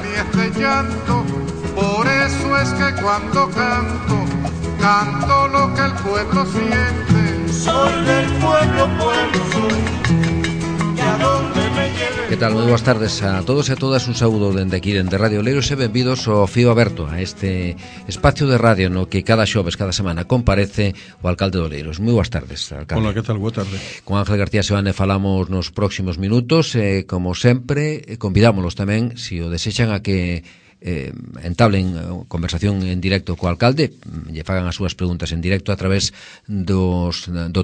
ni este llanto. Por eso es que cuando canto, canto lo que el pueblo siente. Soy del pueblo, pueblo soy, y a donde me lleve. Que tal? Moi boas tardes a todos e a todas. Un saúdo dende aquí, dende Radio Oleiros, e benvidos ao Fío Aberto, a este espacio de radio no que cada xoves, cada semana comparece o alcalde de Oleiros. Moi boas tardes, alcalde. Hola, que tal? Boa tarde. Con Ángel García Seoane falamos nos próximos minutos e, como sempre, convidámonos tamén, se o desexan, a que entablen conversación en directo co alcalde, lle fagan as súas preguntas en directo a través do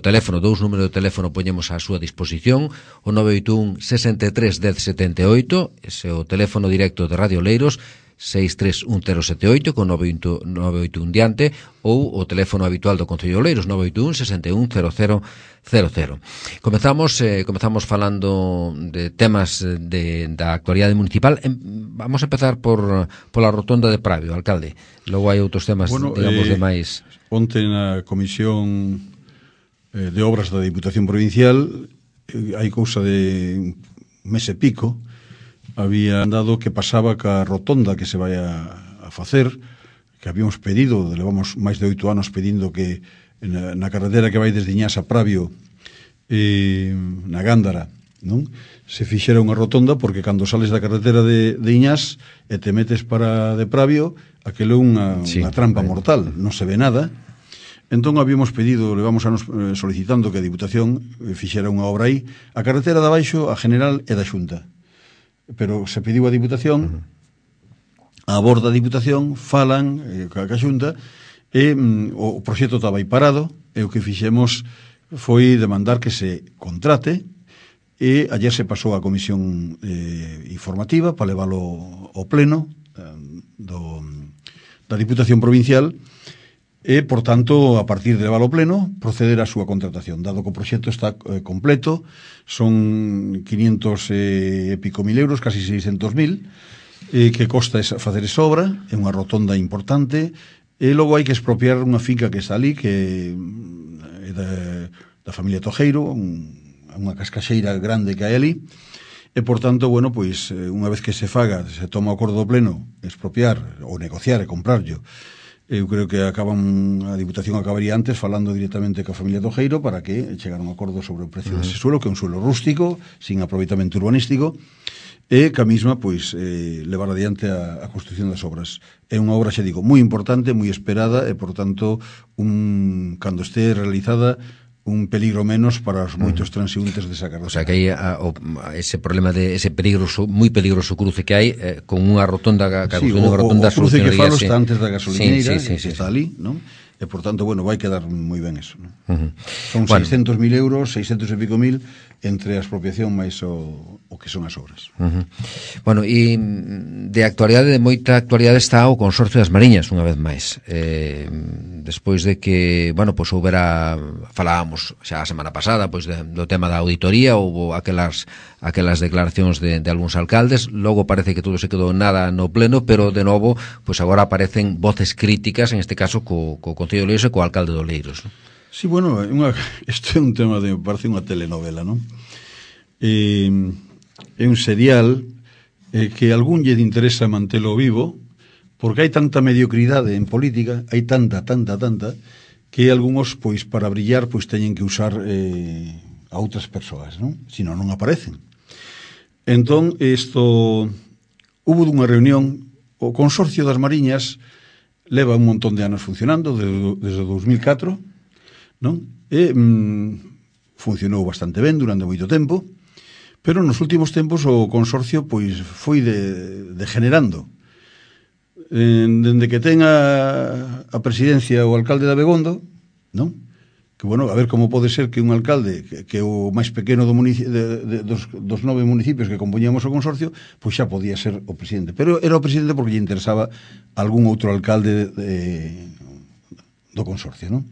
teléfono, dous números de teléfono poñemos á súa disposición, o 981 63 10 78, ese é o teléfono directo de Radio Oleiros, 63108 con 981 diante, ou o teléfono habitual do Concello de Oleiros, 981 61 0000. Comezamos falando de temas da actualidade municipal. Vamos a empezar pola rotonda de Pravio, alcalde. Logo hai outros temas, digamos, de máis. Onte na Comisión de Obras da Diputación Provincial, hai cousa de un mes e pico, había andado que pasaba ca rotonda que se vai a facer, que habíamos pedido, levamos máis de 8 anos pedindo que na carretera que vai desde Iñás a Pravio, na Gándara, non? Se fixera unha rotonda, porque cando sales da carretera de Iñás e te metes para de Pravio, aquilo é unha trampa mortal, non se ve nada. Entón habíamos pedido, levamos anos solicitando que a Diputación fixera unha obra aí. A carretera de abaixo, a General e da Xunta, pero se pediu a Diputación, a borda da Diputación falan ca Xunta, e o proxecto estaba aí parado, e o que fixemos foi demandar que se contrate, e ayer se pasou a comisión informativa para leválo ao pleno da Diputación Provincial, e, por tanto, a partir de leválo ao pleno, proceder á súa contratación, dado que o proxecto está completo. Son 500 e pico mil euros, casi 600.000, que costa facer esa obra. É unha rotonda importante, e logo hai que expropiar unha finca que está ali, que é da familia Tojeiro, unha cascaxeira grande que hai ali, e, por tanto, bueno, pois, unha vez que se faga, se toma o acordo do pleno, expropiar, ou negociar e comprarlo. Eu creo que a Diputación acabaría antes falando directamente coa familia Tojeiro para que chegar a un acordo sobre o precio dese suelo, que é un suelo rústico, sin aproveitamento urbanístico, e que a mesma, pois, levar adiante a construcción das obras. É unha obra, xa digo, moi importante, moi esperada, e, por tanto, cando este realizada, un peligro menos para os moitos transeúntes desa carretera. O sea, que hai ese problema de ese peligroso, moi peligroso cruce que hai con unha rotonda, unha rotonda, o cruce que falo está antes da gasolineira, está ali, non? E, por tanto, bueno, vai quedar moi ben eso, non? Son 600.000 euros, 600 e pico mil, entre a expropiación máis o que son as obras. Bueno, e de actualidade, de moita actualidade, está o Consorcio das Mariñas, unha vez máis. Despois de que, bueno, pois falábamos xa a semana pasada, pois do tema da auditoría, houve aquelas declaracións de algúns alcaldes, logo parece que todo se quedou nada no pleno, pero de novo, pois agora aparecen voces críticas, en este caso co Concello de Oleiros e co alcalde de Oleiros, non? Sí, bueno, isto é un tema parece unha telenovela, non? É un serial que a algún lle interesa mantelo vivo, porque hai tanta mediocridade en política, hai tanta, que algúns, pois, para brillar, pois, teñen que usar a outras persoas, non? Senón non aparecen. Entón, hubo dunha reunión, o Consorcio das Mariñas leva un montón de anos funcionando, desde 2004, non? E funcionou bastante ben durante moito tempo, pero nos últimos tempos o Consorcio, pois, foi degenerando. Dende que ten a presidencia o alcalde de Abegondo, non? Que, bueno, a ver como pode ser que un alcalde que é o máis pequeno dos 9 municipios que compoñíamos o Consorcio, pois xa podía ser o presidente, pero era o presidente porque lle interesaba algún outro alcalde do Consorcio, non?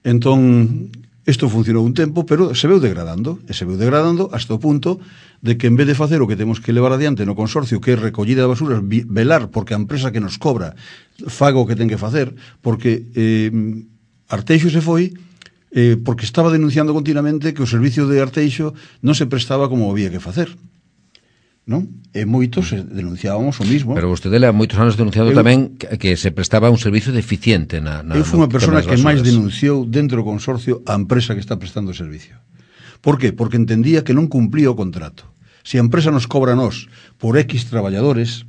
Entón, isto funcionou un tempo, pero se veu degradando hasta o punto de que, en vez de facer o que temos que levar adiante no Consorcio, que é recollida de basuras, velar porque a empresa que nos cobra faga o que ten que facer, porque Arteixo se foi porque estaba denunciando continuamente que o servicio de Arteixo non se prestaba como había que facer. non? E moitos denunciábamos o mismo. Pero vostede há moitos anos denunciado tamén que se prestaba un servicio deficiente eu fui unha persona que máis denunciou dentro do consorcio a empresa que está prestando o servicio. Por qué? Porque entendía que non cumplía o contrato. Se a empresa nos cobra a nós por X traballadores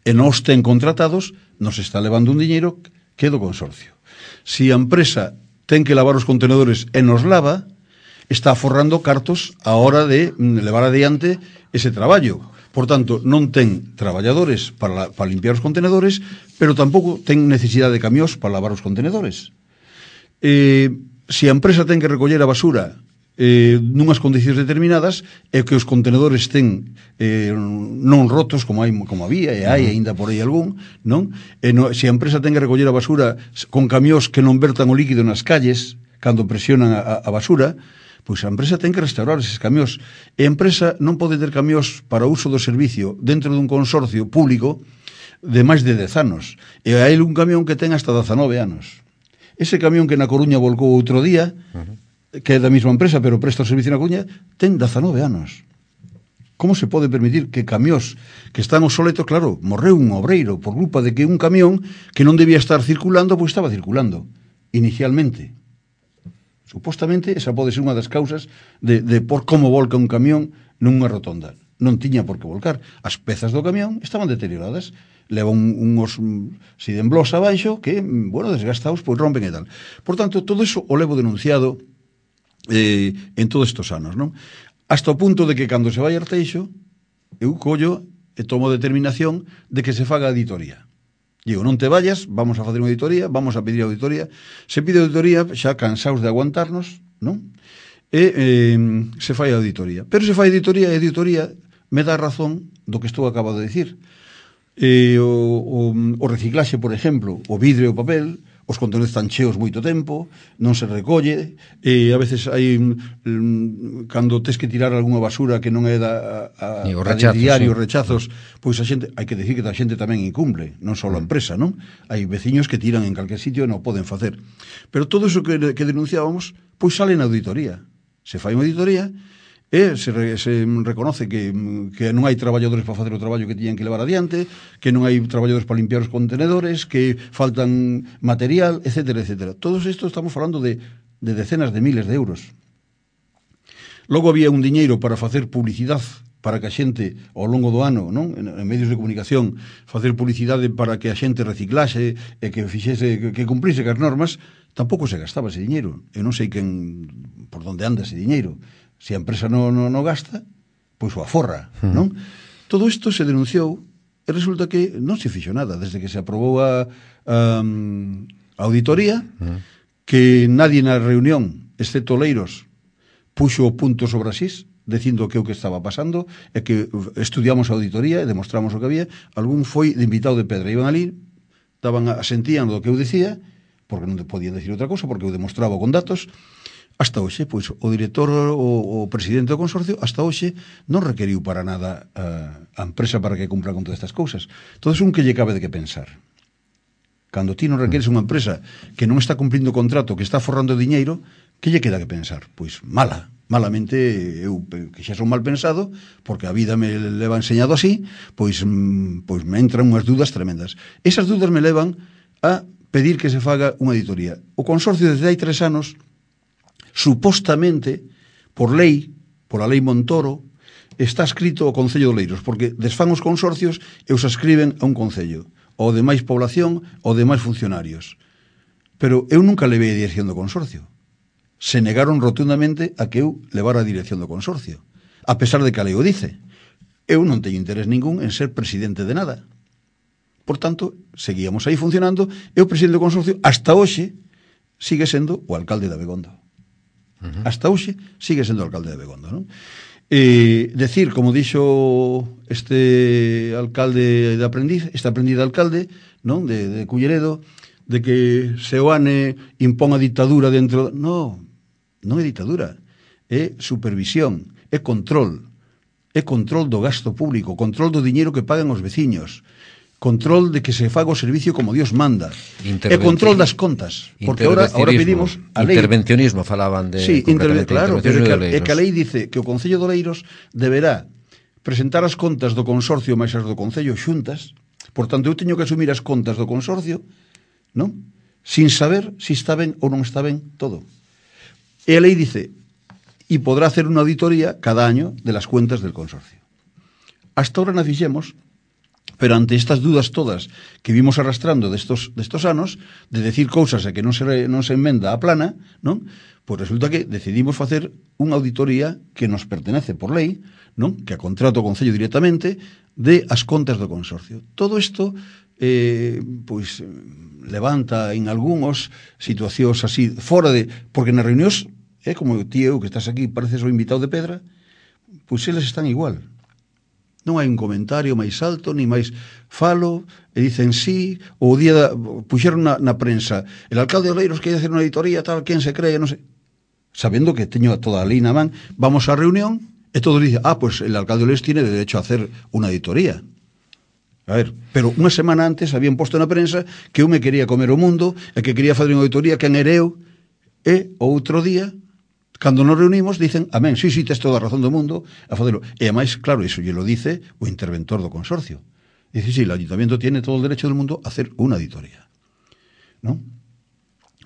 e nos ten contratados, nos está levando un diñeiro que é do consorcio. Se a empresa ten que lavar os contenedores e nos lava, está forrando cartos a hora de levar adiante ese traballo. Por tanto, non ten traballadores para limpiar os contenedores, pero tampouco ten necesidade de camións para lavar os contenedores. Se a empresa ten que recoller a basura nunhas condicións determinadas e que os contenedores ten non rotos como había e hai aínda por aí algún, non? Se a empresa ten que recoller a basura con camións que non vertan o líquido nas calles cando presionan a basura, pois a empresa ten que restaurar eses camións. E a empresa non pode ter camións para o uso do servicio dentro dun consorcio público de máis de 10 anos. E hai un camión que ten hasta 19 anos. Ese camión que na Coruña volcou outro día, que é da mesma empresa, pero presta o servicio na Coruña, ten 19 anos. Como se pode permitir que camións que están obsoletos, claro, morreu un obreiro por culpa de que un camión que non debía estar circulando, pois estaba circulando, inicialmente. Supostamente, esa pode ser unha das causas de por como volca un camión nunha rotonda. Non tiña por que volcar. As pezas do camión estaban deterioradas. Leva unhos sidemblos abaixo que, bueno, desgastados, pois rompen e tal. Por tanto, todo eso o levo denunciado en todos estes anos, non? Hasta o punto de que cando se vai a Arteixo, eu collo e tomo determinación de que se faga auditoría. Digo, non te vayas, vamos a facer unha auditoría, vamos a pedir auditoría. Se pide auditoría, xa cansaos de aguantarnos, non? E se fai auditoría. Pero se fai auditoría, e auditoría me dá razón do que estou acabado de dicir. O reciclaxe, por exemplo, o vidro e o papel, os contenedores están cheos moito tempo, non se recolle, e a veces hai cando tes que tirar algunha basura que non é da diario, rechazos, pois a xente, hai que decir que a xente tamén incumple, non só a empresa, non? Hai veciños que tiran en calquer sitio e non poden facer. Pero todo iso que denunciábamos, pois sale na auditoría. Se fai unha auditoría e se reconoce que non hai traballadores para facer o traballo que tiñan que levar adiante, que non hai traballadores para limpiar os contenedores, que faltan material, etcétera, etcétera. Todos isto estamos falando de decenas de miles de euros. Logo había un diñeiro para facer publicidade para que a xente ao longo do ano, non, en medios de comunicación, facer publicidade para que a xente reciclase e que fixese, que cumplise as normas. Tampouco se gastaba ese diñeiro. Eu non sei por onde anda ese diñeiro. Se a empresa non gasta, pois o aforra, non? Todo isto se denunciou e resulta que non se fixo nada desde que se aprobou a auditoría, que nadie na reunión, excepto Leiros, puxo o punto sobre asís, dicindo que o que estaba pasando, e que estudiamos a auditoría e demostramos o que había. Algún foi de invitado de pedra, iban ali, asentían do que eu dicía, porque non podían decir outra cosa, porque eu demostraba con datos. Hasta hoxe, pois, o director, o presidente do consorcio, hasta hoxe non requeriu para nada a empresa para que cumpra con todas estas cousas. Todo é un que lle cabe de que pensar. Cando ti non requeres unha empresa que non está cumplindo o contrato, que está forrando diñeiro, que lle queda que pensar? Pois malamente, eu que xa son mal pensado, porque a vida me leva enseñado así, pois me entran unhas dudas tremendas. Esas dudas me levan a pedir que se faga unha auditoría. O consorcio desde hai 3 anos, supostamente, por lei, pola lei Montoro, está escrito o Concello de Oleiros, porque desfán os consorcios e os ascriben a un concello, ou de máis población, ou de máis funcionarios. Pero eu nunca levei a dirección do consorcio. Se negaron rotundamente a que eu levara a dirección do consorcio, a pesar de que a lei o dice. Eu non teño interés ningún en ser presidente de nada. Por tanto, seguíamos aí funcionando, e o presidente do consorcio, hasta hoxe, sigue sendo o alcalde de Abegondo. Hasta hoxe sigue sendo o alcalde de Abegondo, non? Decir, como dixo este alcalde de aprendiz, este aprendiz de alcalde, non, de Culleredo, de que Seoane impón a ditadura dentro... Non é ditadura, é supervisión, é control do gasto público, control do diñeiro que pagan os veciños, control de que se faga o servicio como Dios manda, e control das contas, porque ahora pedimos a lei. Intervencionismo falaban de... Sí, claro, pero é que a lei dice que o Concello de Oleiros deberá presentar as contas do consorcio máis as do Concello xuntas, por tanto, eu teño que asumir as contas do consorcio, non? Sin saber se está ben ou non está ben todo. E a lei dice, e podrá hacer unha auditoría cada año de las cuentas del consorcio. Hasta ahora na fixemos, pero ante estas dudas todas que vimos arrastrando destos anos, de decir cousas e que non se enmenda a plana, non? Pois resulta que decidimos facer unha auditoría que nos pertenece por lei, non? Que a contrato o Concello directamente, de as contas do consorcio. Todo isto pois levanta en algúns situacións así fora de, porque nas reunións como ti eu que estás aquí pareces o invitado de pedra, pois eles están igual, non hai un comentario máis alto ni máis falo e dicen sí, o día puxeron na prensa, el alcalde de Oleiros quere hacer unha auditoría tal, quen se cree, non sei, sabendo que teño toda a lei na man, vamos á reunión e todos dicen, pues el alcalde de Oleiros tiene derecho a hacer unha auditoría. A ver, pero unha semana antes habían posto na prensa que eu me quería comer o mundo e que quería fazer unha auditoría, quen era eu, e outro día, cando nos reunimos, dicen, amén, sí, tes toda a razón do mundo a facelo. E ademais, claro, iso lle lo dice o interventor do consorcio. Dice, sí, el ayuntamiento tiene todo o derecho del mundo a hacer unha auditoría. ¿No?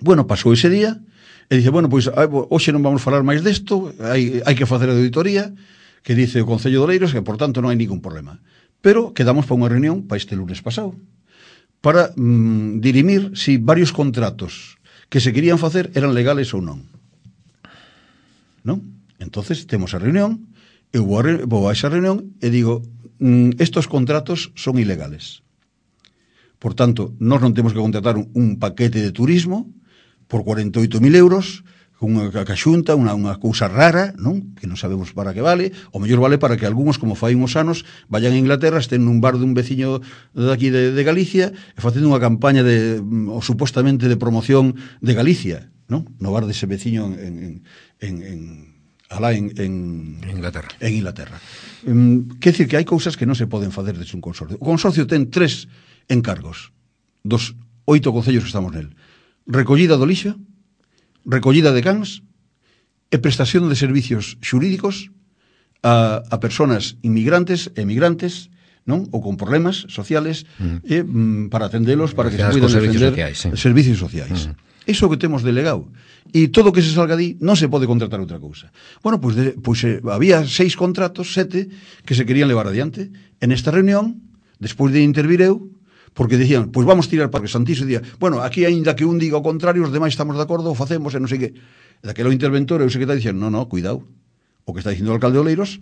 Bueno, pasou ese día, e dice, bueno, pois, hoxe non vamos falar máis desto, hai que facer a auditoría, que dice o Concello de Oleiros, que, por tanto, non hai ningún problema. Pero quedamos para unha reunión para este lunes pasado, para dirimir si varios contratos que se querían facer eran legales ou non. ¿No? Entonces temos a reunión, eu vou a esa reunión e digo, estos contratos son ilegales. Por tanto, nós non temos que contratar un paquete de turismo por 48.000 euros, unha caxunta, unha cousa rara, non? Que non sabemos para que vale, o mellor vale para que algúns, como fai uns anos, vayan a Inglaterra, estén nun bar dun veciño daqui de Galicia e facendo unha campaña supostamente de promoción de Galicia, non? No bar dese veciño en Inglaterra. En Inglaterra. Quer dicir que hai cousas que non se poden facer desde un consorcio. O consorcio ten 3 encargos dos 8 concellos que estamos nel. Recollida do lixo, recollida de cans e prestación de servicios xurídicos a personas inmigrantes e emigrantes, non? Ou con problemas sociales para atendelos, para que se puedan defender servicios sociais. Iso que temos delegado. E todo o que se salga di non se pode contratar outra cousa. Bueno, pois había 6 contratos, 7, que se querían levar adiante. En esta reunión, despois de intervir eu, porque decían, pois vamos tirar para que Santiso día, bueno, aquí aínda que un diga o contrario, os demais estamos de acordo, o facemos e non sei que. Daquelo interventor, eu sei que está dicindo, no, cuidado, o que está dicindo o alcalde de Oleiros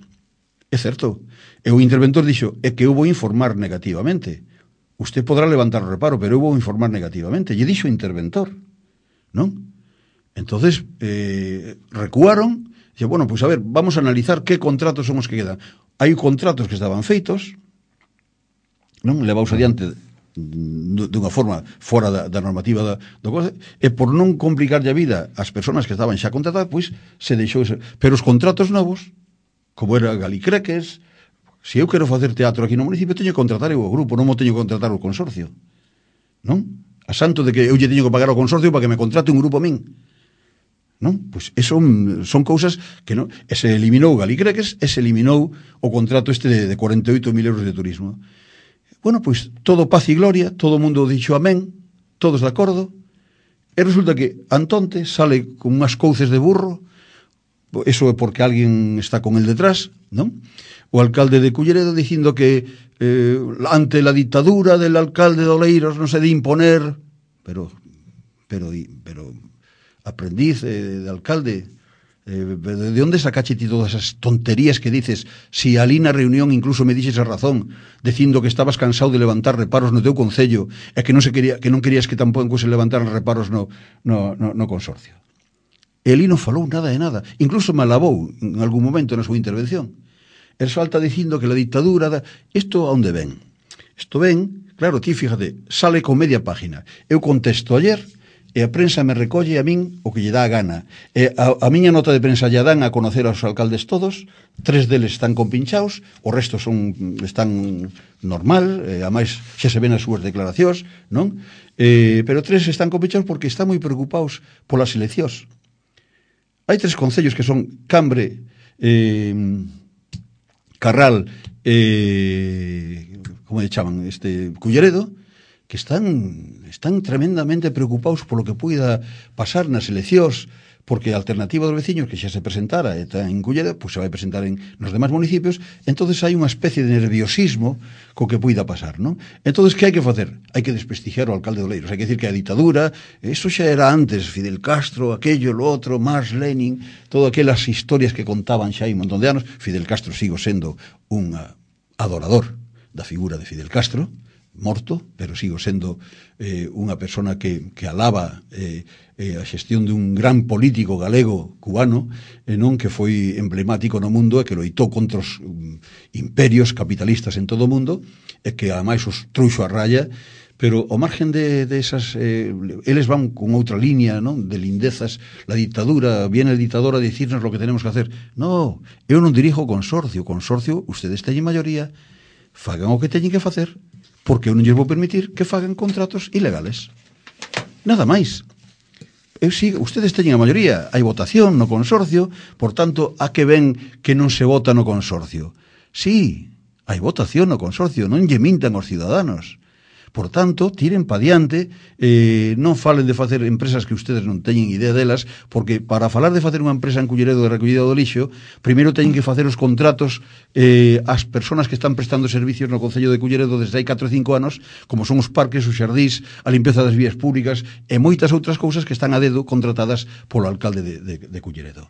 é certo. E o interventor dixo, é que eu vou informar negativamente. Usted podrá levantar o reparo, pero eu vou informar negativamente. Lle dixo o interventor, non? Entonces, recuaron, dixe, bueno, pois a ver, vamos a analizar que contratos son os que quedan. Hai contratos que estaban feitos, non? Levaos adiante dunha forma fora da normativa do cosa, e por non complicarlle a vida ás persoas que estaban xa contratadas, pois se deixou ese. Pero os contratos novos, como era Galicreques, se eu quero facer teatro aquí no municipio, teño que contratar eu o grupo, non mo teño que contratar o consorcio, non? A santo de que eu lle teño que pagar ao consorcio para que me contrate un grupo a min, non? Pois eso son cousas que non. E se eliminou Galicreques e se eliminou o contrato este de 48.000 euros de turismo. Bueno, pois todo paz e gloria, todo o mundo dixo amén, todos de acordo, e resulta que Antonte sale con unhas couces de burro, eso é porque alguén está con el detrás, non? O alcalde de Culleredo dicindo que ante la dictadura del alcalde de Oleiros non se de imponer, pero aprendiz de alcalde, ¿de onde sacache ti todas esas tonterías que dices? Si ali na reunión incluso me dixes a razón, dicindo que estabas cansado de levantar reparos no teu concello e que non querías que tampouco se levantaran reparos no consorcio. Eli non falou nada de nada, incluso me alabou en algún momento na súa intervención. El salta dicindo que la dictadura isto a onde ven? Isto ven, claro, ti fíjate, sale con media página. Eu contesto ayer e a prensa me recolle a min o que lle dá a gana. E a miña nota de prensa lle dan a conocer aos alcaldes todos, 3 deles están compinchados, o resto están normal, a máis xa se ven as súas declaracións, non? Pero 3 están compinchados porque están moi preocupados polas eleccións. Hai 3 concellos que son Cambre, Carral como lle chaman, Culleredo, que están tremendamente preocupados polo que poida pasar nas eleccións, porque a alternativa dos veciños que xa se presentara está en Culleredo, pois se vai presentar nos demais municipios, entonces hai unha especie de nerviosismo co que poida pasar, non? Entonces, que hai que facer? Hai que desprestigiar o alcalde de Oleiros, hai que decir que a ditadura, eso xa era antes, Fidel Castro, aquello, lo outro, Marx, Lenin, todas aquelas historias que contaban xa hai un montón de anos. Fidel Castro sigo sendo un adorador da figura de Fidel Castro, morto, pero sigo sendo unha persona que alaba a xestión dun gran político galego cubano, non, que foi emblemático no mundo e que loitou contra os imperios capitalistas en todo o mundo e que ademais os trouxo a raya, pero ao margen de esas eles van con outra línea, non, de lindezas. La dictadura, viene el dictador a decirnos lo que tenemos que hacer. No, eu non dirijo o consorcio, ustedes teñen maioría, fagan o que teñen que facer, porque eu non lles vou permitir que fagan contratos ilegales. Nada máis. Ustedes teñen a maioría, hai votación no consorcio, por tanto, a que ven que non se vota no consorcio? Sí, hai votación no consorcio, non lle mintan aos ciudadanos. Por tanto, tiren pa diante, non falen de facer empresas que ustedes non teñen idea delas, porque para falar de facer unha empresa en Culleredo de recollida do lixo, primeiro teñen que facer os contratos ás persoas que están prestando servicios no Concello de Culleredo desde hai 4 ou 5 anos, como son os parques, os xardís, a limpeza das vías públicas e moitas outras cousas que están a dedo contratadas polo alcalde de Culleredo.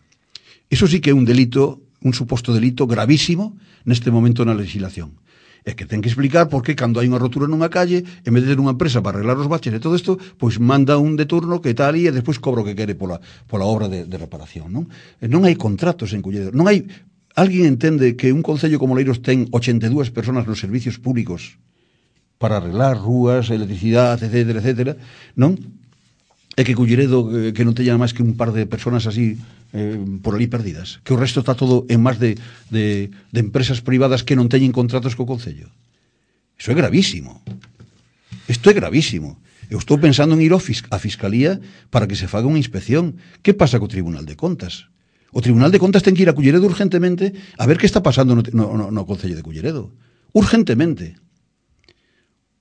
Iso sí que é un delito, un suposto delito gravísimo neste momento na legislación. É que ten que explicar por que cando hai unha rotura nunha calle, en vez de ter unha empresa para arreglar os baches e todo isto, pois manda un de turno que está ali e despois cobra o que quere pola obra de reparación, non? Non hai contratos en Culleredo, non hai... Alguén entende que un concello como Oleiros ten 82 personas nos servicios públicos para arreglar rúas, electricidade, etcétera, etcétera, non? É que Culleredo que non teña máis que un par de personas así por ali perdidas, que o resto está todo en máis de empresas privadas que non teñen contratos co Concello. Iso é gravísimo. Isto é gravísimo. Eu estou pensando en ir a Fiscalía para que se faga unha inspección. Que pasa co Tribunal de Contas? O Tribunal de Contas ten que ir a Culleredo urgentemente a ver que está pasando no Concello de Culleredo. Urgentemente.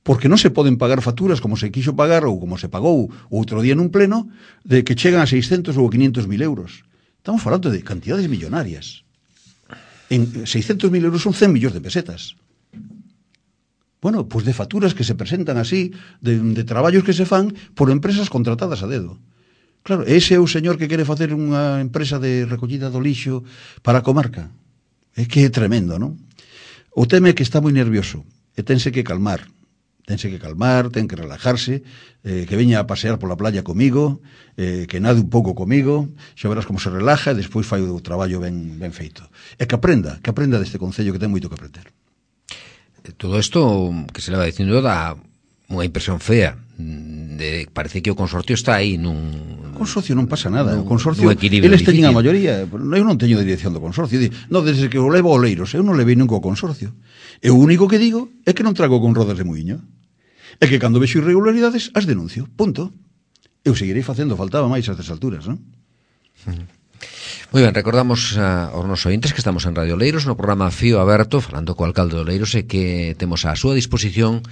Porque non se poden pagar facturas como se quixo pagar ou como se pagou outro día nun pleno de que chegan a 600 ou 500.000 euros. Estamos falando de cantidades millonarias. En 600.000 euros son 100 millóns de pesetas. Bueno, pois de facturas que se presentan así, de traballos que se fan por empresas contratadas a dedo. Claro, ese é o señor que quere facer unha empresa de recollida do lixo para a comarca. É que é tremendo, non? O tema é que está moi nervioso e tense que calmar. Ten que relajarse, que veña a pasear pola playa comigo, que nade un pouco comigo, xa verás como se relaja e despois fai o traballo ben feito. E que aprenda deste concello que ten moito que aprender. Todo isto que se leva dicindo dá unha impresión fea. Parece que o consorcio está aí nun... O consorcio non pasa nada. O consorcio, eles teñen a maioría. Eu non teño dirección do consorcio. Non, desde que o levo a Oleiros, eu non levei nunca o consorcio. E o único que digo é que non trago con rodas de muiño. É que cando vexo irregularidades, as denuncio. Punto. Eu seguirei facendo, faltaba máis a estas alturas, non? Moi ben, recordamos aos nosos ointes que estamos en Radio Oleiros no programa Fío Aberto, falando co alcalde de Oleiros e que temos a súa disposición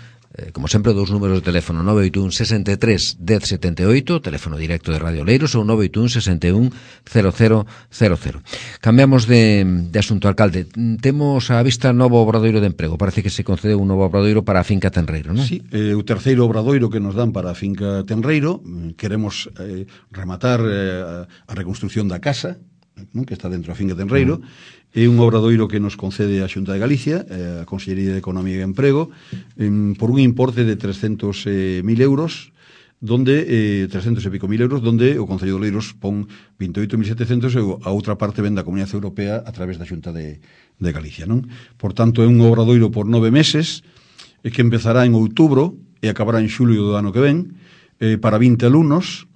como sempre, dous números de teléfono 981 63 1078, teléfono directo de Radio Oleiros, ou 981 61 0000. Cambiamos de asunto, alcalde. Temos á vista novo obradoiro de emprego. Parece que se concedeu un novo obradoiro para a finca Tenreiro, non? Sí, o terceiro obradoiro que nos dan para a finca Tenreiro. Queremos rematar a reconstrucción da casa, non, que está dentro da finca Tenreiro. É un obradoiro que nos concede a Xunta de Galicia, a Consellería de Economía e Emprego, por un importe de 300.000 euros, donde 300 e pico mil euros, donde o Concello de Oleiros pon 28.700 e a outra parte ven da Comunidade Europea a través da Xunta de Galicia, non? Por tanto, é un obradoiro por 9 meses, que empezará en outubro e acabará en xulio do ano que ven, para 20 alumnos.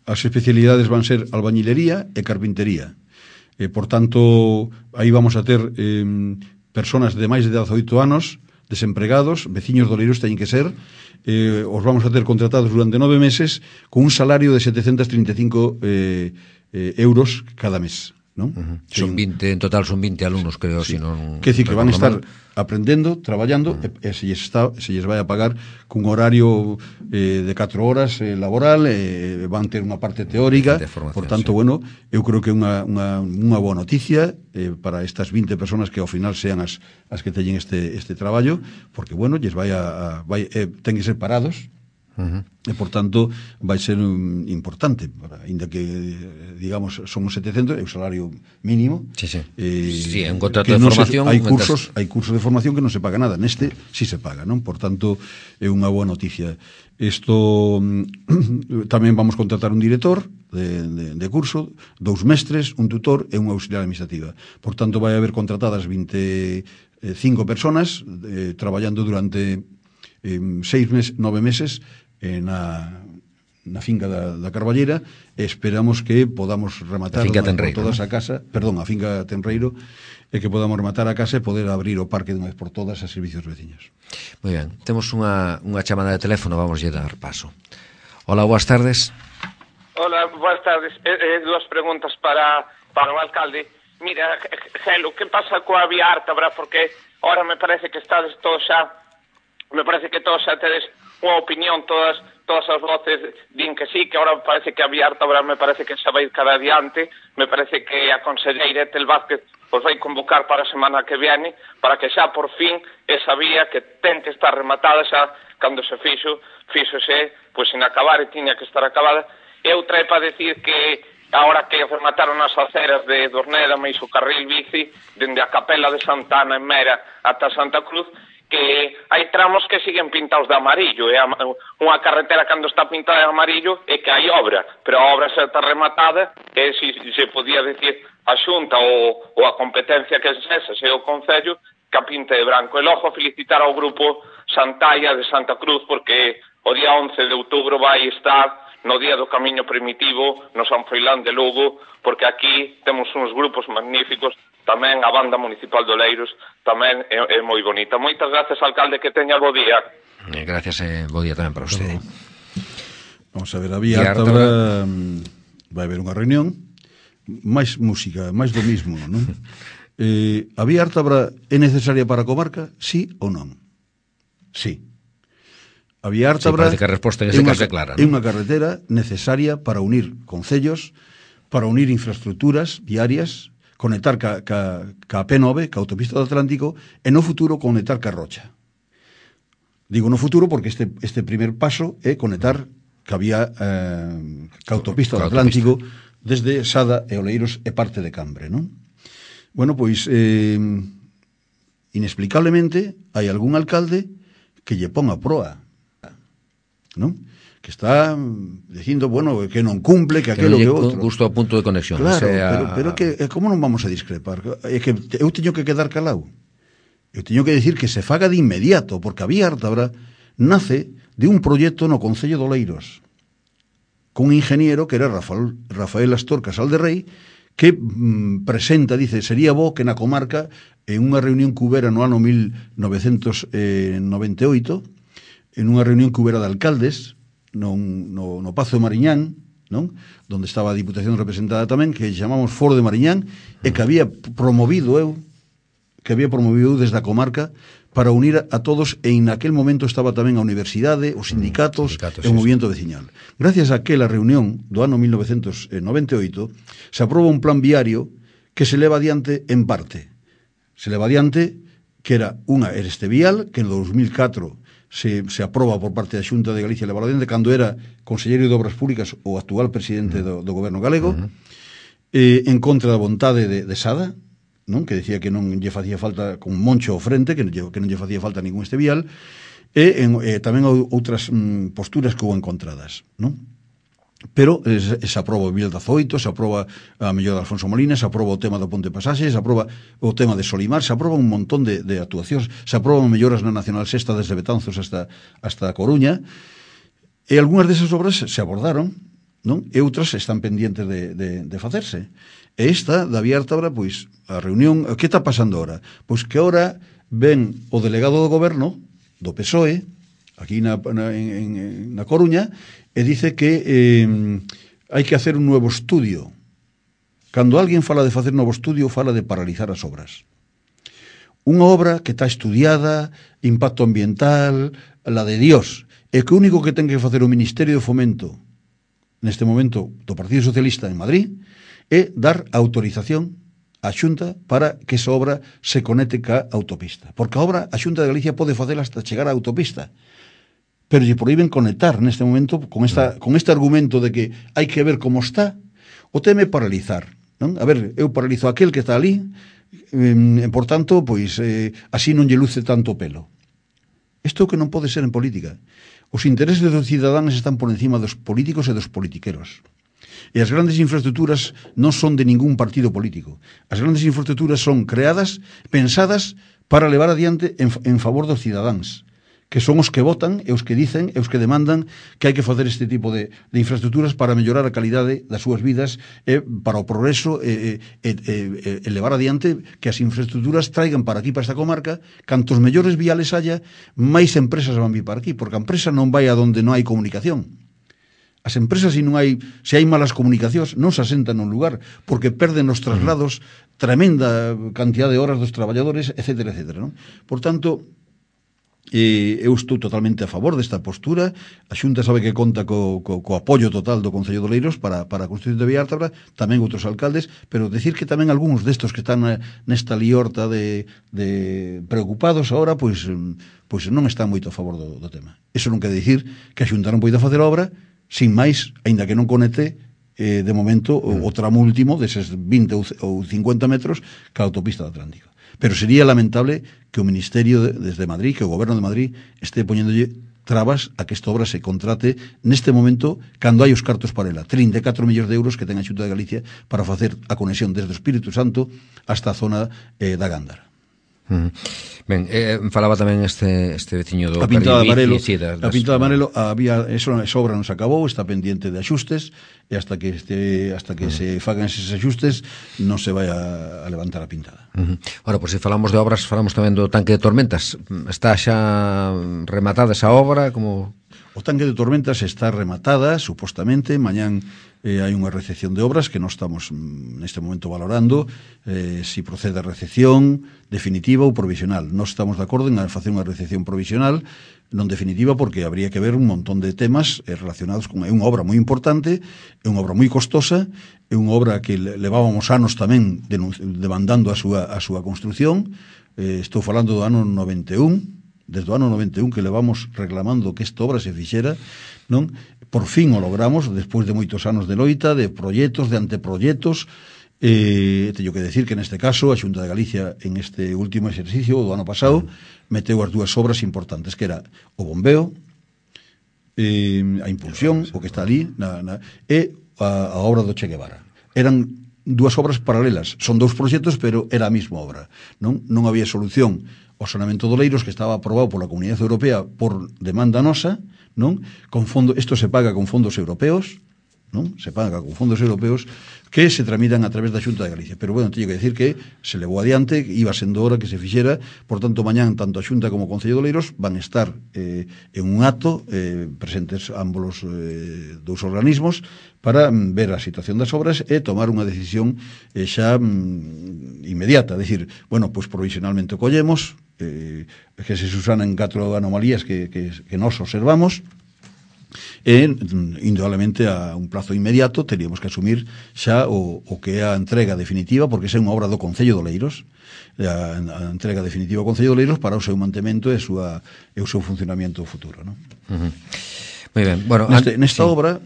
As especialidades van ser albañilería e carpintería. Por tanto, aí vamos a ter personas de máis de 18 anos, desempregados, veciños de Oleiros teñen que ser, os vamos a ter contratados durante 9 meses con un salario de 735 euros cada mes. non? Son 20, en total son 20 alumnos, creo, si non... Que decir que van a estar aprendendo, traballando, e se lles vai a pagar cun horario de 4 horas laboral, van ter unha parte teórica, por tanto, bueno, eu creo que é unha boa noticia para estas 20 personas que ao final sean as que teñen este traballo, porque, bueno, lles ten que ser parados, e por tanto vai ser importante, ainda que digamos son 700, é o salario mínimo. Sí, é un contrato de formación. Hai cursos de formación que non se paga nada, neste sí se paga, non? Por tanto é unha boa noticia. Isto tamén vamos contratar un director de curso, 2 mestres, un tutor e unha auxiliar administrativa. Por tanto vai haber contratadas 25 personas traballando durante 9 meses na finca da Carballera, e esperamos que podamos rematar todas a casa, a finca Tenreiro, e que podamos rematar a casa e poder abrir o parque de unha vez por todas a servicios veciños. Moi ben, temos unha chamada de teléfono, vamos a dar paso. Hola, boas tardes. Hola, boas tardes. Dúas preguntas para o alcalde. Mira, Gelo, que pasa coa vía Ártabra? Porque ahora me parece que estades todos xa, tedes unha opinión, todas as voces din que sí, que ahora parece que a vía Ártabra me parece que xa vai cara adiante, me parece que a conselleira Etel Vázquez os vai convocar para a semana que viene, para que xa por fin esa vía que ten que estar rematada xa cando se fíxose, pois sin acabar e tiña que estar acabada. E outra é para decir que agora que remataron as aceras de Dorneda, mais o carril bici, dende a Capela de Santana en Mera ata Santa Cruz, que hai tramos que siguen pintados de amarillo, e unha carretera cando está pintada de amarillo é que hai obra, pero a obra xa está rematada, e se podía decir a Xunta ou a competencia que é esa, se o Concello, que a pinte de branco. E logo felicitar ao grupo Santalla de Santa Cruz, porque o día 11 de outubro vai estar no Día do Camiño Primitivo no San Froilán de Lugo, porque aquí temos uns grupos magníficos, tamén a Banda Municipal de Oleiros tamén é moi bonita. Moitas gracias, alcalde, que teña bo día. Gracias, bo día tamén para usted. Vamos a ver, a vía Ártabra vai haber unha reunión, máis música, máis do mismo, non? A vía Ártabra é necesaria para a comarca, sí ou non? Sí. A vía Ártabra que a resposta en ese caso é clara, é unha carretera necesaria para unir concellos, para unir infraestructuras viarias, conectar ca P9, ca autopista do Atlántico, e no futuro conectar ca Rocha. Digo no futuro porque este primer paso é conectar ca vía ca autopista do Atlántico desde Sada e Oleiros e parte de Cambre, non? Bueno, pois inexplicablemente hai algún alcalde que lle pon a proa, non? Que está dicindo, bueno, que non cumple, que aquelo que outro. Justo a punto de conexión. Claro, pero que como non vamos a discrepar? É que eu teño que quedar calado. Eu teño que decir que se faga de inmediato, porque a vía Ártabra nace de un proxecto no Concello de Oleiros, con un ingeniero que era Rafael Astor Casal de Rei, que presenta, dice, sería bo que na comarca, en unha reunión que hubera no ano 1998, en unha reunión que hubera de alcaldes, no Pazo de Mariñán, non? Donde estaba a Diputación representada tamén, que chamamos Foro de Mariñán, e que había promovido eu desde a comarca para unir a todos, e en aquel momento estaba tamén a universidade, os sindicatos e o movimento veciñal. Gracias a aquela reunión do ano 1998 se aproba un plan viario que se leva adiante en parte. Se leva adiante que era este vial, que en 2004 se aproba por parte da Xunta de Galicia de Valladolid, cando era conselleiro de Obras Públicas o actual presidente do goberno galego, en contra da vontade de Sada, non? Que decía que non lle facía falta, con Moncho ao frente, que non lle facía falta ningún este vial, e tamén outras posturas que houve encontradas, non? Pero se aproba o Vial 18, se aproba a mellor de Alfonso Molina, se aproba o tema do Ponte Pasaxe, se aproba o tema de Solimar, se aproba un montón de actuacións, se aproban melloras na Nacional Sexta desde Betanzos hasta a Coruña, e algunhas desas obras se abordaron, non? E outras están pendientes de facerse. E esta, da vía Ártabra, pois, a reunión, que está pasando ahora? Pois que ahora ven o delegado do goberno, do PSOE, aquí na Coruña, e dice que hai que hacer un nuevo estudio Cando alguén fala de facer novo estudio, fala de paralizar as obras. Unha obra que está estudiada, impacto ambiental, la de Dios, e que o único que ten que facer o Ministerio de Fomento neste momento do Partido Socialista en Madrid é dar autorización á Xunta para que esa obra se conecte ca autopista. Porque a obra a Xunta de Galicia pode facela hasta chegar á autopista, pero lle proíben conectar neste momento con este argumento de que hai que ver como está. O tema é paralizar, non? A ver, eu paralizo aquel que está ali, por tanto, pois así non lle luce tanto pelo. Isto é o que non pode ser en política. Os intereses dos cidadáns están por encima dos políticos e dos politiqueros. E as grandes infraestructuras non son de ningún partido político. As grandes infraestructuras son creadas, pensadas para levar adiante en favor dos cidadáns, que son os que votan e os que dicen e os que demandan que hai que facer este tipo de infraestructuras para mellorar a calidade das súas vidas e para o progreso e levar adiante que as infraestructuras traigan para aquí, para esta comarca. Cantos mellores viales haya, máis empresas van vir para aquí, porque a empresa non vai a donde non hai comunicación. As empresas, se hai malas comunicacións, non se asentan nun lugar, porque perden os traslados, tremenda cantidad de horas dos traballadores, etcétera, etcétera, non? Por tanto, eu estou totalmente a favor desta postura. A Xunta sabe que conta co apoio total do Concello de Oleiros para a construción de Viártabra, tamén outros alcaldes, pero decir que tamén algúns destos que están nesta liorta de preocupados agora, pois non están moito a favor do tema. Iso non quere dicir que a Xunta non poida facer obra sin máis, aínda que non conecte de momento o tramo último deses 20 ou 50 metros ca autopista do Atlántico. Pero sería lamentable que o Ministerio desde Madrid, que o Goberno de Madrid este poñéndolle trabas a que esta obra se contrate neste momento cando hai os cartos para ela. 34 millóns de euros que ten a Xunta de Galicia para facer a conexión desde o Espírito Santo hasta a zona da Gándara. Ben, falaba tamén este veciño do a pintada de amarelo, a pintada de amarelo había, esa obra non se acabou, está pendiente de axustes e hasta que se fagan eses axustes non se vai a levantar a pintada. Ora, por se falamos de obras, falamos tamén do tanque de Tormentas. Está xa rematada esa obra? Como... O tanque de Tormentas está rematada, supostamente. Mañán hai unha recepción de obras que nós estamos neste momento valorando si procede a recepción definitiva ou provisional. Nós estamos de acordo en facer unha recepción provisional, non definitiva, porque habría que ver un montón de temas relacionados con... É unha obra moi importante, é unha obra moi costosa, é unha obra que levábamos anos tamén demandando a súa construción. Estou falando do ano 91, desde o ano 91 que levamos reclamando que esta obra se fixera, non? Por fin o logramos, despois de moitos anos de loita, de proxectos, de anteproxectos. Teño que decir que neste caso a Xunta de Galicia en este último exercicio do ano pasado meteu as dúas obras importantes, que era o bombeo, a impulsión, o que está ali, e a obra do Che Guevara. Eran dúas obras paralelas, son dous proxectos, pero era a mesma obra, non había solución. O saneamento de Oleiros, que estaba aprobado pola Comunidade Europea por demanda nosa, non? Isto se paga con fondos europeos, non? Se paga con fondos europeos que se tramitan a través da Xunta de Galicia. Pero, bueno, teño que decir que se levou adiante, iba sendo hora que se fixera. Por tanto, mañán, tanto a Xunta como o Concello de Oleiros van estar en un acto, presentes ambos dous organismos, para ver a situación das obras e tomar unha decisión xa inmediata. Decir, bueno, pois provisionalmente o collemos, que se susanan 4 anomalías que nós observamos, e indudablemente a un plazo inmediato teríamos que asumir xa o que é a entrega definitiva, porque esa é unha obra do Concello de Oleiros, a entrega definitiva ao Concello de Oleiros para o seu mantemento e o seu funcionamento futuro, non? Moi ben. Bueno, nesta obra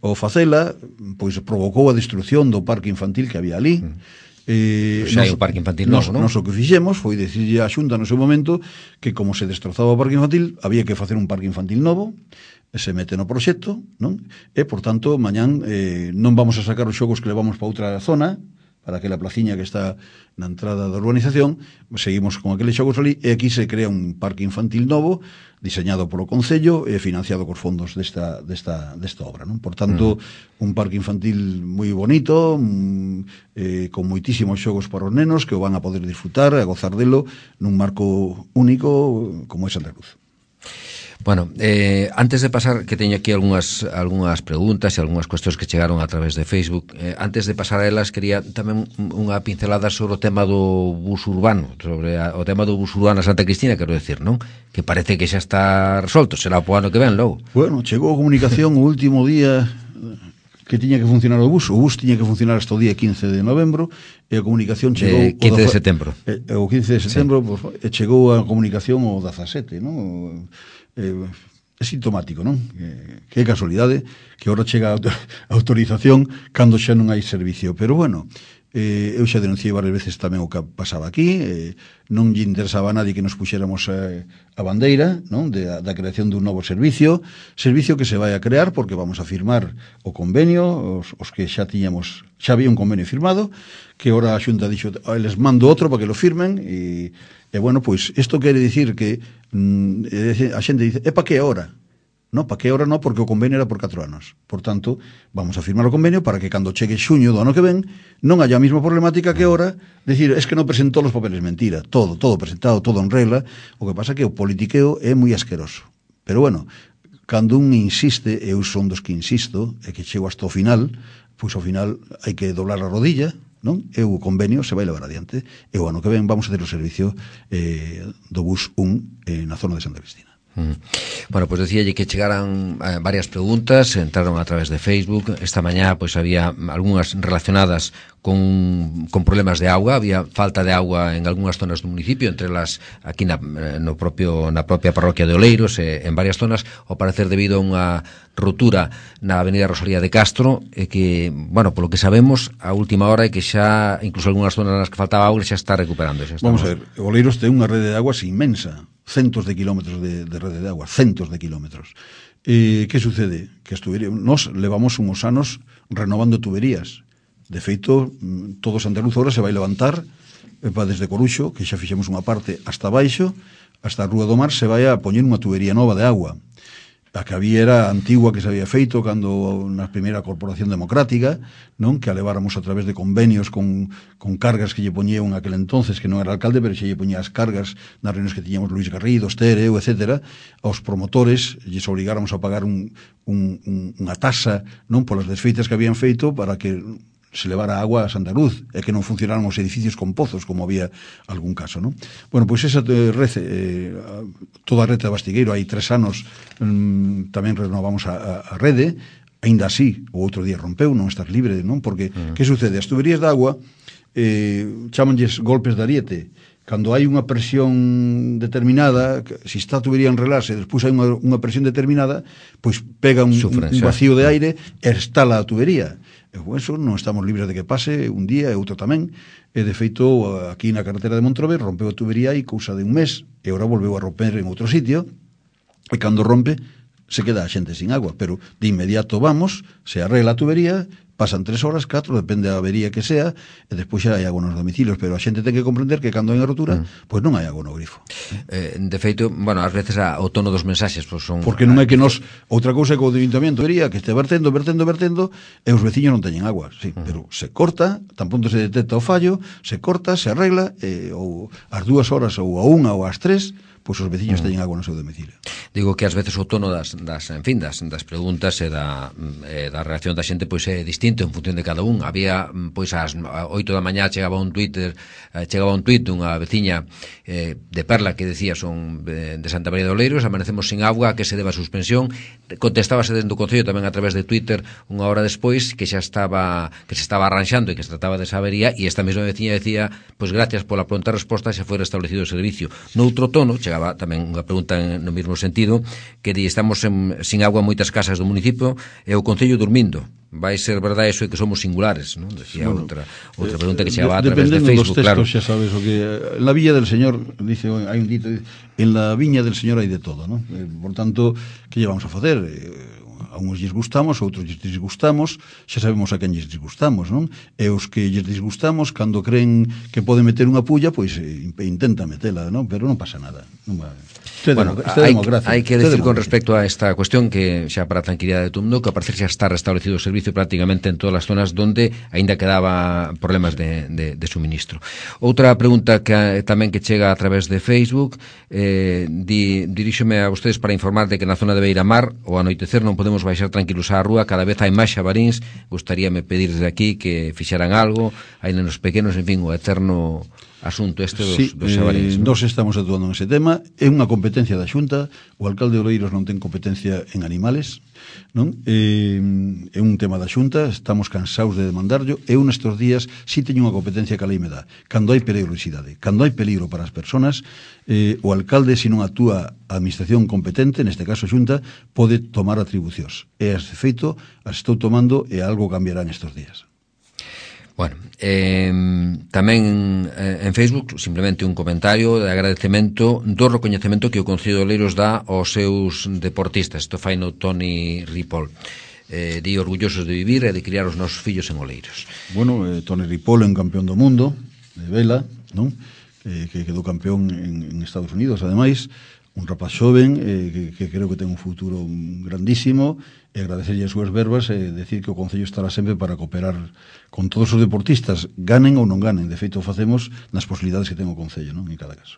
o facela pois provocou a destrucción do parque infantil que había ali. Xa hai un parque infantil novo, non? Nos o que fixemos foi decirlle á Xunta no seu momento que como se destrozaba o parque infantil había que facer un parque infantil novo, se mete no proxecto, non? E, por tanto, mañán non vamos a sacar os xogos que levamos para outra zona, para aquela placiña que está na entrada da urbanización, seguimos con aqueles xogos ali, e aquí se crea un parque infantil novo, diseñado polo Concello e financiado cos fondos desta obra, non? Por tanto, un parque infantil moi bonito, con moitísimos xogos para os nenos que o van a poder disfrutar, a gozar delo nun marco único como é Santa Cruz. Bueno, antes de pasar, que teño aquí algunhas preguntas e algunhas cuestións que chegaron a través de Facebook, antes de pasar a elas, quería tamén unha pincelada sobre o tema do bus urbano, sobre o tema do bus urbano a Santa Cristina, quero decir, non? Que parece que xa está resolto, será o ano que ven, logo. Bueno, chegou a comunicación o último día que tiña que funcionar o bus tiña que funcionar hasta o día 15 de novembro, e a comunicación chegou... 15 de setembro. O 15 de setembro, sí. Pues, chegou a comunicación o 17, non? É sintomático, non? Que casualidade que agora chega a autorización cando xa non hai servicio. Pero bueno, eu xa denunciei varias veces tamén o que pasaba aquí, non lle interesaba a nadie que nos puxéramos a bandeira, non? Da creación dun novo servicio que se vai a crear porque vamos a firmar o convenio, os que xa tiñamos, xa había un convenio firmado, que ahora a Xunta dixo, les mando outro para que lo firmen, e bueno, pois isto quere dicir que a xente dice, para que ahora? No, para que ahora no, porque o convenio era por 4 anos. Por tanto, vamos a firmar o convenio para que cando chegue xuño do ano que ven non haya a mesma problemática que ahora, decir, es que non presentou os papeles, mentira, todo presentado, todo en regla. O que pasa que o politiqueo é moi asqueroso. Pero bueno, cando un insiste, eu son dos que insisto, e que chego hasta o final, pois ao final hai que doblar a rodilla, non? E o convenio se vai levar adiante, e o ano que ven vamos a ter o servicio do bus 1 na zona de Santa Cristina. Bueno, pois decíalle que chegaran varias preguntas, entraron a través de Facebook. Esta mañá pois había algunhas relacionadas con problemas de auga, había falta de auga en algunhas zonas do municipio, entre las aquí na propia parroquia de Oleiros, en varias zonas, ao parecer debido a unha rotura na avenida Rosalía de Castro, que, bueno, polo que sabemos, a última hora é que xa, incluso algunhas zonas nas que faltaba auga, xa está recuperando. Vamos a ver, Oleiros ten unha rede de aguas inmensa, centos de kilómetros de rede de agua, centos de kilómetros. Que sucede? Que nos levamos uns anos renovando tuberías. De feito, todo Santa Luz ahora se vai levantar desde Coruxo, que xa fixemos unha parte hasta baixo, hasta a Rúa do Mar, se vai a poñer unha tubería nova de agua. A que había era antigua, que se había feito cando na primeira corporación democrática, non? Que a leváramos a través de convenios con cargas que lle poñían aquel entonces, que non era alcalde, pero xe lle poñía as cargas nas reunións que tiñamos Luis Garrido, Esther, eu, etcétera, aos promotores, lles obrigáramos a pagar unha tasa, non? Polas desfeitas que habían feito para que se levara agua a Santa Luz e que non funcionaran os edificios con pozos, como había algún caso, non? Bueno, pois esa rede, toda a rede de Bastigueiro, hai 3 anos tamén renovamos a rede, aínda así, o outro día rompeu, non estás libre, non? Porque, que sucede? As tuberías de agua chamanlles golpes de ariete. Cando hai unha presión determinada, se está a tubería en relarse, despois hai unha presión determinada, pois pega un vacío de aire e estala a tubería. E eso non estamos libres de que pase un día e outro tamén. E de feito, aquí na carretera de Montrobe rompeu a tubería e cousa de un mes, e agora volveu a romper en outro sitio, e cando rompe se queda a xente sin agua, pero de inmediato vamos, se arregla a tubería, pasan 3 horas, 4, depende da avería que sea, e despois xa hai agua nos domicilios, pero a xente ten que comprender que cando hai unha rotura, pois non hai agua no grifo. De feito, bueno, ás veces o tono dos mensaxes pois son... Porque non é que nos... Outra cousa é que o Ayuntamiento vería que este vertendo, e os veciños non teñen agua, sí, pero se corta, tan pronto se detecta o fallo, se corta, se arregla, ou ás 2 horas, ou a 1 ou ás 3, pois os veciños teñen agua no seu domicilio. Digo que ás veces o tono das preguntas e da reacción da xente pois é distinto en función de cada un. Había, pois ás 8 da mañá chegaba un tuit dunha veciña de Perla que decía son de Santa María de Oleiros, amanecemos sin agua, a que se deba a suspensión. Contestábase dentro do concello tamén a través de Twitter unha hora despois que se estaba arranxando e que se trataba desa avería, e esta mesma veciña decía, pois gracias pola pronta resposta, xa foi restablecido o servicio. Noutro tono chegaba tamén unha pregunta no mesmo sentido, que di, estamos sin agua en moitas casas do municipio e o concello dormindo. Vai ser verdade eso de que somos singulares, non? Decía outra pregunta que chegaba a través de Facebook, claro. Dependendo dos textos, xa sabes o que en la Villa del Señor, dice, hai un dito, en la viña del Señor hai de todo, non? Por tanto, que lle vamos a facer? A uns lles gustamos, a outros lles disgustamos, xa sabemos a quen lles disgustamos, non? E os que lles disgustamos, cando creen que poden meter unha pulla, pois intenta metela, non? Pero non pasa nada, non va... Bueno, hai que decir con respecto a esta cuestión que xa para a tranquilidade de todo mundo que a parecer xa está restablecido o servicio prácticamente en todas as zonas donde aínda quedaba problemas de suministro. Outra pregunta que tamén que chega a través de Facebook, diríxome a vostedes para informar de que na zona de Beiramar ao anoitecer non podemos baixar tranquilos á rúa, cada vez hai máis xabaríns. Gustaríame pedir desde aquí que fixeran algo, hai nenos pequenos, en fin, o eterno asunto este dos xabaríns. Nós estamos actuando nese tema, é unha competencia da Xunta, o alcalde de Oleiros non ten competencia en animales, non? É un tema da Xunta, estamos cansados de demandarlo, e un estes días si teño unha competencia que a lei me dá. Cando hai perigosidade, cando hai peligro para as persoas, o alcalde, se non actúa a administración competente, neste caso a Xunta, pode tomar atribucións. E as de feito, as estou tomando e algo cambiará nestes días. Bueno, tamén en Facebook simplemente un comentario de agradecemento do recoñecemento que o Concello de Oleiros dá aos seus deportistas. Isto fai no Toni Ripoll. Di orgullosos de vivir e de criar os nosos fillos en Oleiros. Bueno, Toni Ripoll é un campeón do mundo de vela, non? Que quedou campeón en Estados Unidos, ademais, un rapaz xoven que creo que ten un futuro grandísimo, e agradecerlle as súas verbas e decir que o Concello estará sempre para cooperar con todos os deportistas, ganen ou non ganen. De feito, o facemos nas posibilidades que ten o Concello, non? En cada caso.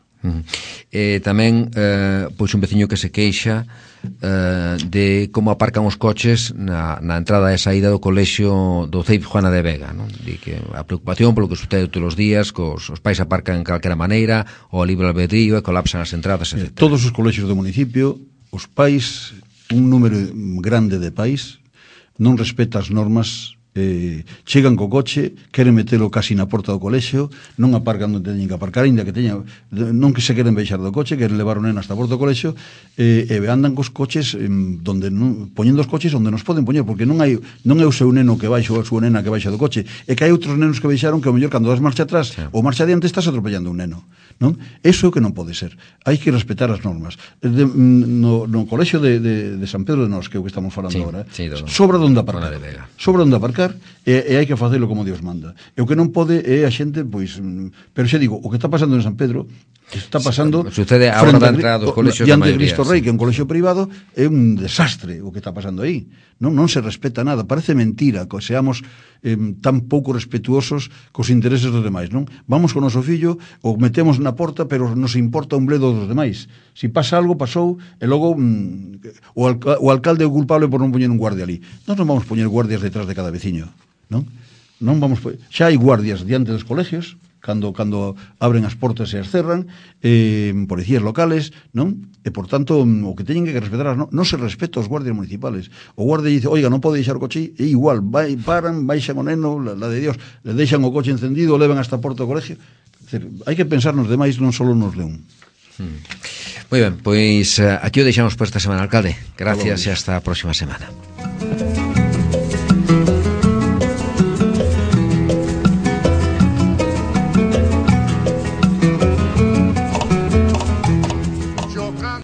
Tamén pois un veciño que se queixa de como aparcan os coches na entrada e saída do colexio do CEIP Juana de Vega, non? Di que a preocupación polo que sucede todos os días, que os pais aparcan en calquera maneira ou a libre albedrío e colapsan as entradas, etc. Todos os colexios do municipio, os pais, un número grande de pais, non respeta as normas, chegan co coche, queren metelo casi na porta do colexio, non aparcan onde teñen que aparcar, ainda que teñan, non que se queren baixar do coche, queren levar o neno hasta a porta do colexio, e andan cos coches donde poñendo os coches onde nos poden poñer, porque non é o seu neno que baixa ou a súa nena que baixa do coche, é que hai outros nenos que baixaron que ao mellor cando das marcha atrás ou marcha adiante estás atropellando un neno, non? Eso é o que non pode ser. Hai que respetar as normas. No colexio de San Pedro de Nós, que é o que estamos falando agora, sobra onde aparcar. Sobra onde aparcar e hai que facelo como Dios manda. E o que non pode é a xente, pois, pero xa digo, o que está pasando en San Pedro está pasando sucede agora da entrada dos colexios da maioría, Cristo Rei, que é un colexio privado, é un desastre o que está pasando aí. Non se respeta nada, parece mentira que seamos tan pouco respetuosos cos intereses dos demais, non? Vamos con o noso fillo, o metemos na porta, pero nos importa un bledo dos demais. Si pasa algo, pasou, e logo o alcalde é o culpable por non poñer un guardia ali. Nós non vamos poñer guardias detrás de cada veciño, non? Non vamos, xa hai guardias diante dos colegios cando abren as portas e as cerran, policías locales, non? E por tanto, o que teñen que respetar non se respeta aos guardias municipales. O guardia dice, oiga, non pode deixar o coche, e igual, paran, baixan o neno, la de Dios, le deixan o coche encendido, o levan hasta a porta do colegio. Hai que pensar nos demais, non só nos de un. Moi ben, pois aquí o deixamos por esta semana, alcalde. Gracias e hasta a próxima semana.